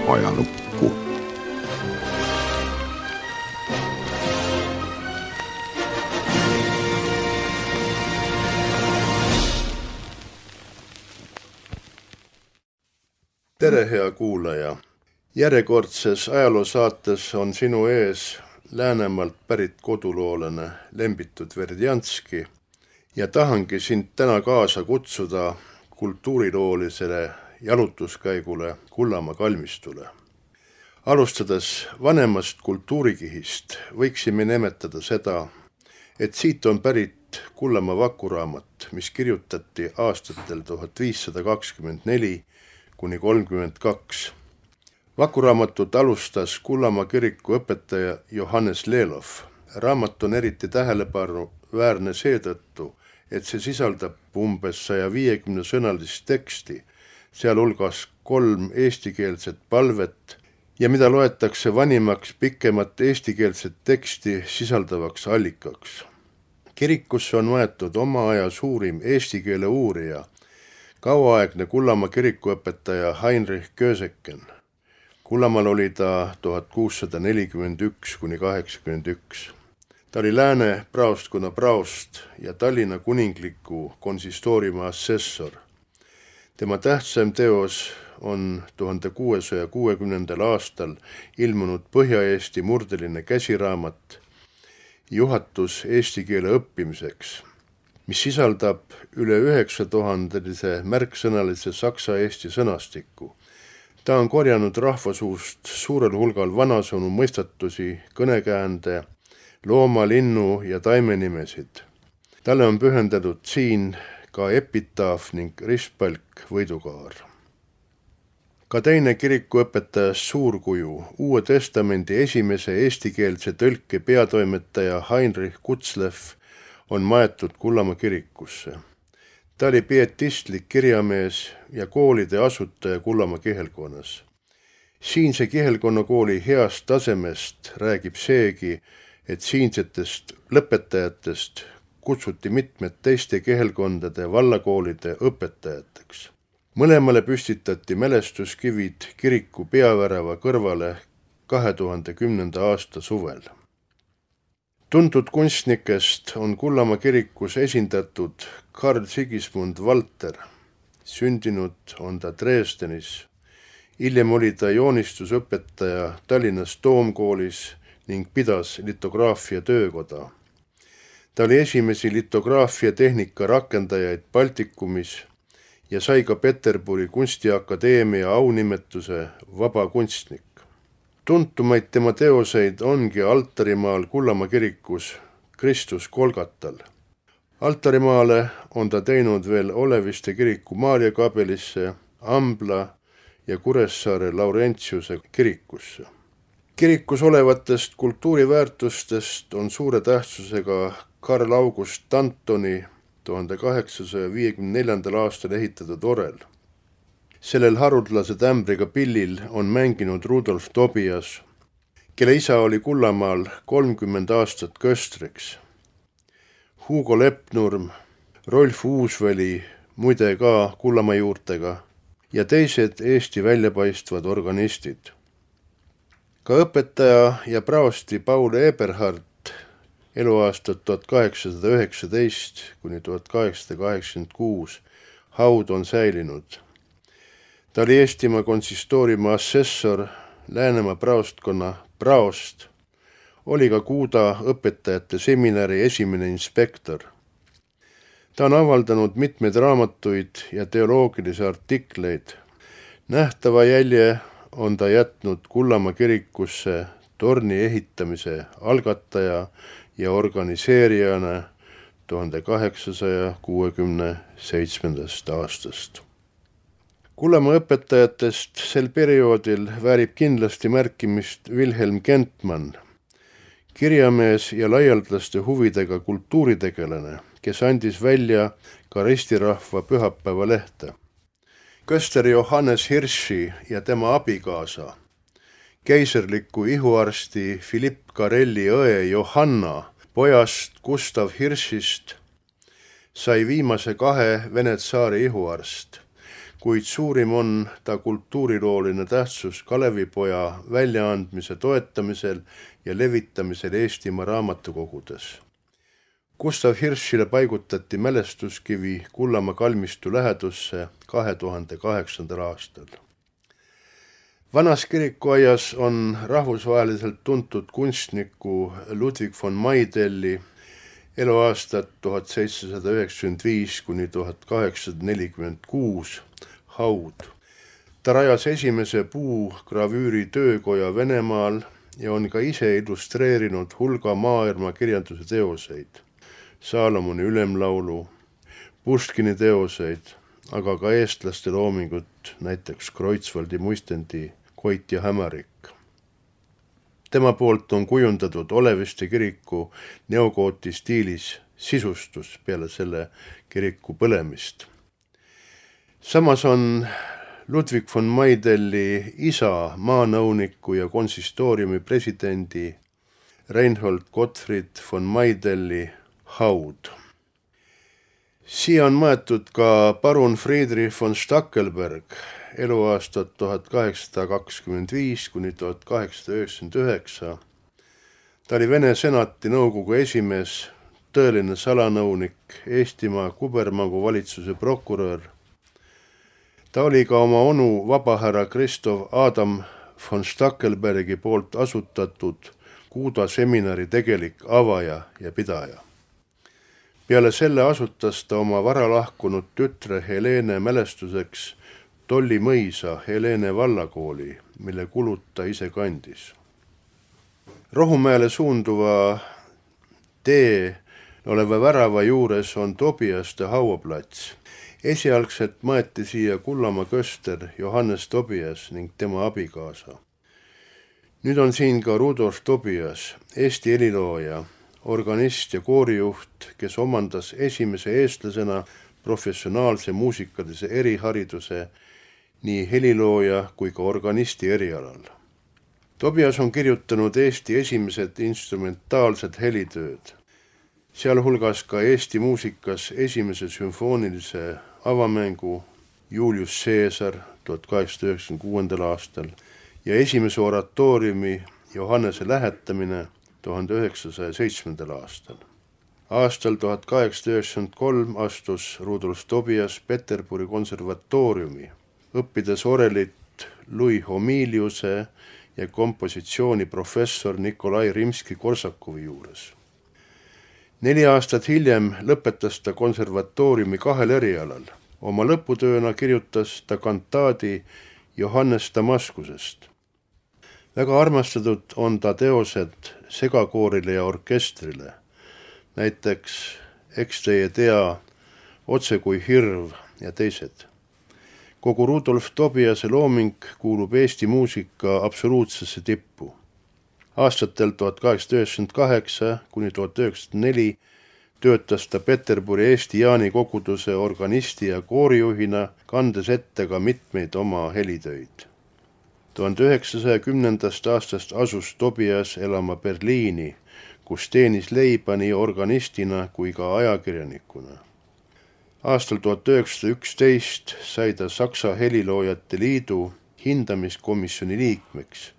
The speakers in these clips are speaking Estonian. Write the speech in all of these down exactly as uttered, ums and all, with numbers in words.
ajalukku. Tere, hea kuulaja! Järjekordses ajaloosaates on sinu ees Läänemaalt pärit koduloolane Lembitud Verdjanski ja tahangi sind täna kaasa kutsuda kultuuriloolisele jalutuskäigule Kullamaa kalmistule. Alustades vanemast kultuurikihist võiksime nimetada seda, et siit on pärit Kullamaa vakuraamat, mis kirjutati aastatel tuhat viissada kakskümmend neli kuni kolmkümmend kaks. Vakuraamatut alustas Kullamaa kiriku õpetaja Johannes Lelov. Raamat on eriti tähelepanuväärne seetõttu, et see sisaldab umbes saja viiekümne sõnalist teksti, sealhulgas kolm eestikeelset palvet ja mida loetakse vanimaks pikemat eestikeelset teksti sisaldavaks allikaks. Kirikusse on võetud oma aja suurim eesti keele uurija, kauaaegne Kullamaa kirikuõpetaja Heinrich Köseken. Kullamaal oli ta tuhat kuussada nelikümmend üks kuni kaheksakümmend üks. Ta oli Lääne praostkonna praost ja Tallinna kuningliku konsistooriumi assessor. Tema tähtsam teos on tuhande kuuesaja kuuekümnendal aastal ilmunud Põhja-Eesti murdeline käsiraamat Juhatus eesti keele õppimiseks, mis sisaldab üle üheksatuhandelise märksõnalise saksa-eesti sõnastiku. Ta on korjanud rahvasuust suurel hulgal vanasõnu mõistatusi, kõnekäände, looma, linnu ja taimenimesid. Talle on pühendatud siin ka epitaaf ning ristpalk võidukaar. Ka teine kirikuõpetajast suurkuju, Uue Testamendi esimese eestikeelse tõlke peatoimetaja Heinrich Kutzlev on maetud Kullamaa kirikusse. Ta oli pietistlik kirjamees ja koolide asutaja Kullamaa kihelkonnas. Siinse kihelkonnakooli heast tasemest räägib seegi, et siinsetest lõpetajatest kutsuti mitmed teiste kihelkondade vallakoolide õpetajateks. Mõlemale püstitati mälestuskivid kiriku peavärava kõrvale kahe tuhande kümnenda aasta suvel. Tuntud kunstnikest on Kullamaa kirikus esindatud Karl Sigismund Valter. Sündinud on ta Dresdenis. Hiljem oli ta joonistusõpetaja Tallinnas Toomkoolis ning pidas litograafia töökoda. Ta oli esimesi litograafia tehnika rakendajaid Baltikumis ja sai ka Peterburi kunstiakadeemia aunimetuse vaba kunstnik. Tuntumaid tema teoseid ongi altarimaal Kullamaa kirikus Kristus Kolgatal. Altarimaale on ta teinud veel Oleviste kiriku Maarjakabelisse, Ambla ja Kuressaare Laurentiuse kirikusse. Kirikus olevatest kultuuriväärtustest on suure tähtsusega Karl August Antoni tuhande kaheksasaja viiekümne neljandal aastal ehitatud orel. Sellel haruldase tämbriga pillil on mänginud Rudolf Tobias, kelle isa oli Kullamaal kolmkümmend aastat köstriks. Hugo Lepnurm, Rolf Uusväli, muide ka Kullamaa juurtega, ja teised Eesti väljapaistvad organistid. Ka õpetaja ja praosti Paul Eberhard eluaastat tuhat kaheksasada üheksateist kuni tuhat kaheksasada kaheksakümmend kuus haud on säilinud. Ta oli Eestimaa konsistooriumi assessor, Läänemaa praostkonna praost, oli ka Kuuda õpetajate seminari esimene inspektor. Ta on avaldanud mitmeid raamatuid ja teoloogilisi artikleid. Nähtava jälje on ta jätnud Kullamaa kirikusse torni ehitamise algataja ja organiseerijana tuhande kaheksasaja kuuekümne seitsmendast aastast. Kullamaa õpetajatest sel perioodil väärib kindlasti märkimist Wilhelm Kentmann, kirjamees ja laialdaste huvidega kultuuritegelane, kes andis välja ka ristirahva pühapäevalehte. Köster Johannes Hirschi ja tema abikaasa, keiserliku ihuarsti Philipp Karelli õe Johanna, pojast Gustav Hirschist, sai viimase kahe Vene tsaari ihuarst. kuid suurim on ta kultuurilooline tähtsus Kalevipoja väljaandmise toetamisel ja levitamisel Eestimaa raamatukogudes. Gustav Hirschile paigutati mälestuskivi Kullamaa kalmistu lähedusse kahe tuhande kaheksandal aastal. Vanas kirikuaias on rahvusvaheliselt tuntud kunstniku Ludwig von Maidelli eluaastat tuhat seitsesada üheksakümmend viis kuni tuhat kaheksasada nelikümmend kuus haud. Ta rajas esimese puugravüüri töökoja Venemaal ja on ka ise illustreerinud hulga maailma kirjanduse teoseid, Saalomoni ülemlaulu, Puškini teoseid, aga ka eestlaste loomingut, näiteks Kreutzwaldi muistendi Koit ja hämarik. Tema poolt on kujundatud Oleviste kiriku neogooti stiilis sisustus peale selle kiriku põlemist. Samas on Ludwig von Maidelli isa maanõuniku ja konsistooriumi presidendi Reinhold Gottfried von Maidelli haud. Siia on maetud ka parun Friedrich von Stackelberg, eluaastat tuhat kaheksasada kakskümmend viis kuni tuhat kaheksasada üheksakümmend üheksa. Ta oli Vene senati nõukogu esimees, tõeline salanõunik, Eestimaa kubermangu valitsuse prokurör. Ta oli ka oma onu vabahärra Christoph Adam von Stackelbergi poolt asutatud Kuuda seminari tegelik avaja ja pidaja. Peale selle asutas ta oma varalahkunud tütre Helene mälestuseks Tolli mõisa Helene vallakooli, mille kulud ta ise kandis. Rohumäele suunduva tee oleva värava juures on Tobiaste hauaplats. Esialgselt maeti siia Kullamaa köster Johannes Tobias ning tema abikaasa. Nüüd on siin ka Rudolf Tobias, Eesti helilooja, organist ja koorijuht, kes omandas esimese eestlasena professionaalse muusikalise erihariduse nii helilooja kui ka organisti erialal. Tobias on kirjutanud Eesti esimesed instrumentaalsed helitööd, sealhulgas ka Eesti muusikas esimese sümfoonilise avamängu Julius Caesar tuhat kaheksasada üheksakümmend kuuendal aastal ja esimese oratooriumi Johannese lähetamine tuhande üheksasaja seitsmendal aastal. Aastal tuhat kaheksasada üheksakümmend kolm astus Rudolf Tobias Peterburi konservatooriumi, õppides orelit Louis Homiliuse ja kompositsiooni professor Nikolai Rimski-Korsakovi juures. Neli aastat hiljem lõpetas ta konservatooriumi kahel erialal. Oma lõputööna kirjutas ta kantaadi Johannes Damaskusest. Väga armastatud on ta teosed segakoorile ja orkestrile, näiteks Eks teie tea, Otse kui hirv ja teised. Kogu Rudolf Tobiase looming kuulub Eesti muusika absoluutsesse tippu. Aastatel tuhat kaheksasada üheksakümmend kaheksa kuni tuhat üheksasada neli töötas ta Peterburi Eesti Jaani koguduse organisti ja koorijuhina, kandes ette ka mitmeid oma helitöid. tuhande üheksasaja kümnendast aastast asus Tobias elama Berliini, kus teenis leiba nii organistina kui ka ajakirjanikuna. Aastal tuhat üheksasada üksteist sai ta Saksa heliloojate liidu hindamiskomisjoni liikmeks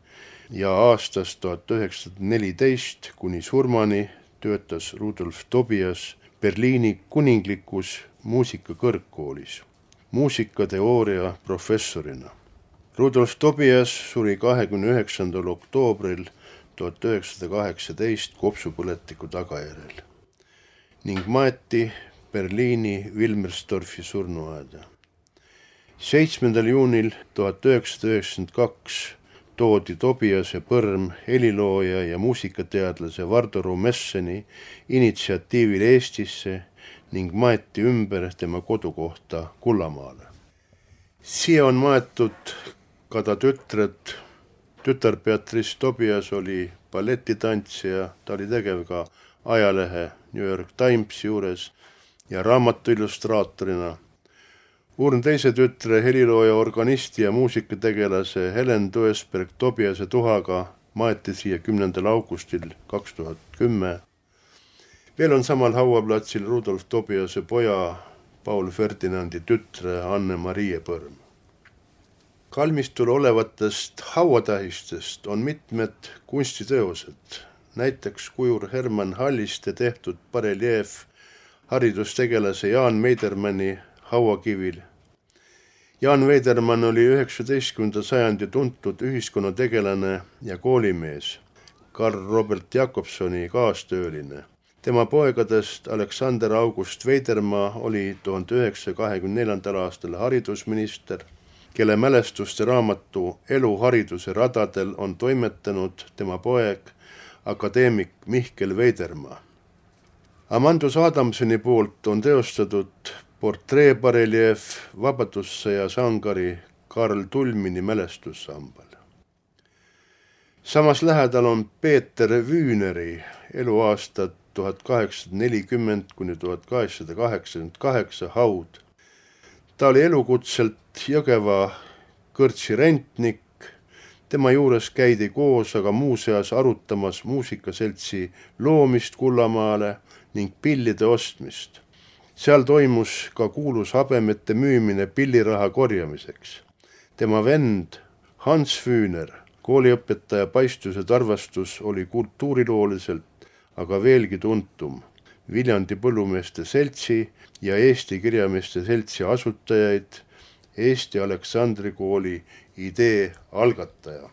ja aastast tuhat üheksasada neliteist kuni surmani töötas Rudolf Tobias Berliini kuninglikus muusikakõrgkoolis muusikateooria professorina. Rudolf Tobias suri kahekümne üheksandal oktoobril tuhat üheksasada kaheksateist kopsupõletiku tagajärjel ning maeti Berliini Wilmersdorfi surnuaeda. seitsmendal juunil tuhat üheksasada üheksakümmend kaks toodi Tobiase põrm helilooja ja muusikateadlase Vardo Rumesseni initsiatiivil Eestisse ning maeti ümber tema kodukohta Kullamaale. Siia on maetud ka ta tütred. Tütar Beatrice Tobias oli balletitantsija, ta oli tegev ka ajalehe New York Times juures ja raamatu illustraatorina. Uurn teise tütre helilooja, organisti ja muusikategelase Helen Duesberg Tobiase tuhaga maeti siia kümnendal augustil kaks tuhat kümme. Veel on samal hauaplatsil Rudolf Tobiase poja Paul Ferdinandi tütre Anne-Marie Põrm. Kalmistul olevatest hauatähistest on mitmed kunstiteosed, näiteks kujur Hermann Halliste tehtud bareljeef haridustegelase Jaan Veidermanni hauakivil. Jaan Veidermann oli üheksateistkümnenda sajandi tuntud ühiskonnategelane ja koolimees, Karl Robert Jakobsoni kaastööline. Tema poegadest Alexander August Veidermaa oli tuhande üheksasaja kahekümne neljandal aastal haridusminister, kelle mälestuste raamatu Elu hariduse radadel on toimetanud tema poeg, akadeemik Mihkel Veidermaa. Amandus Adamsoni poolt on teostatud portreebareljeef vabadussõja sangari Karl Tulmini mälestussambal. Samas lähedal on Peeter Wühneri eluaastad tuhat kaheksasada nelikümmend kuni tuhat kaheksasada kaheksakümmend kaheksa haud. Ta oli elukutselt Jõgeva kõrtsi rentnik, tema juures käidi koos aga muuseas arutamas muusikaseltsi loomist Kullamaale ning pillide ostmist. Seal toimus ka kuulus habemete müümine pilliraha korjamiseks. Tema vend Hans Wühner, kooliõpetaja paistus ja tarvastus, oli kultuurilooliselt aga veelgi tuntum. Viljandi põllumeeste seltsi ja Eesti kirjameeste seltsi asutajaid, Eesti Aleksandri kooli idee algataja.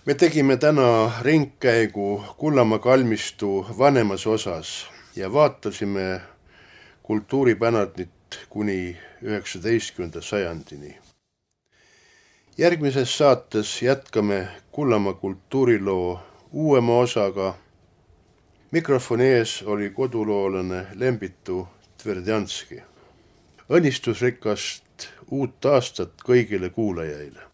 Me tegime täna ringkäigu Kullamaa kalmistu vanemas osas ja vaatasime kultuuripärandit kuni üheksateistkümnenda sajandini. Järgmises saates jätkame Kullamaa kultuuriloo uuema osaga. Mikrofoni ees oli koduloolane Lembitu Tverdjanski. Õnnistusrikast uut aastat kõigile kuulajaile.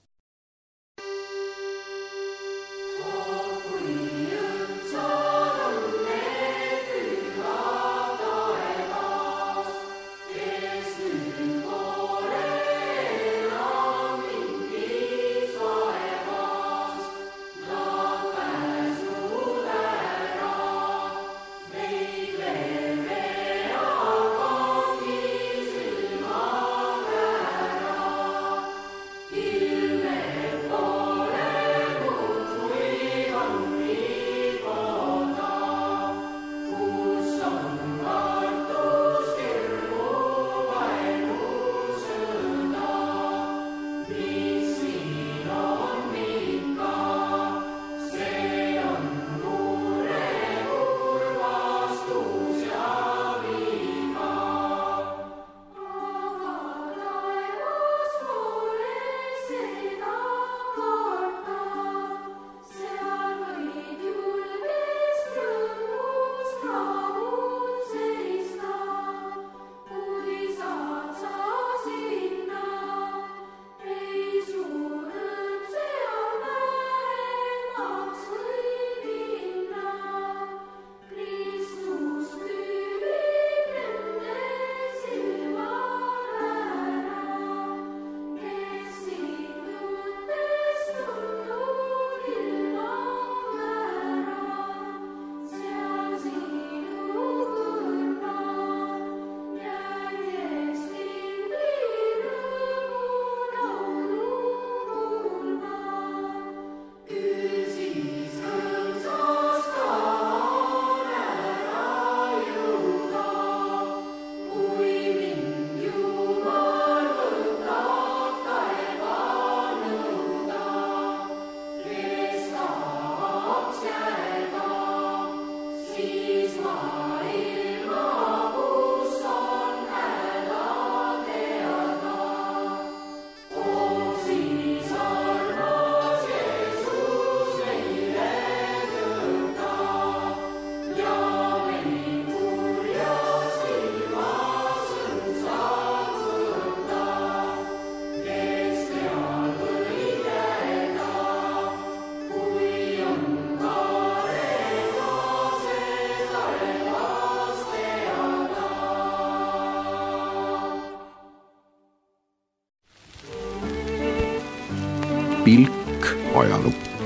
Pilk ajalukku.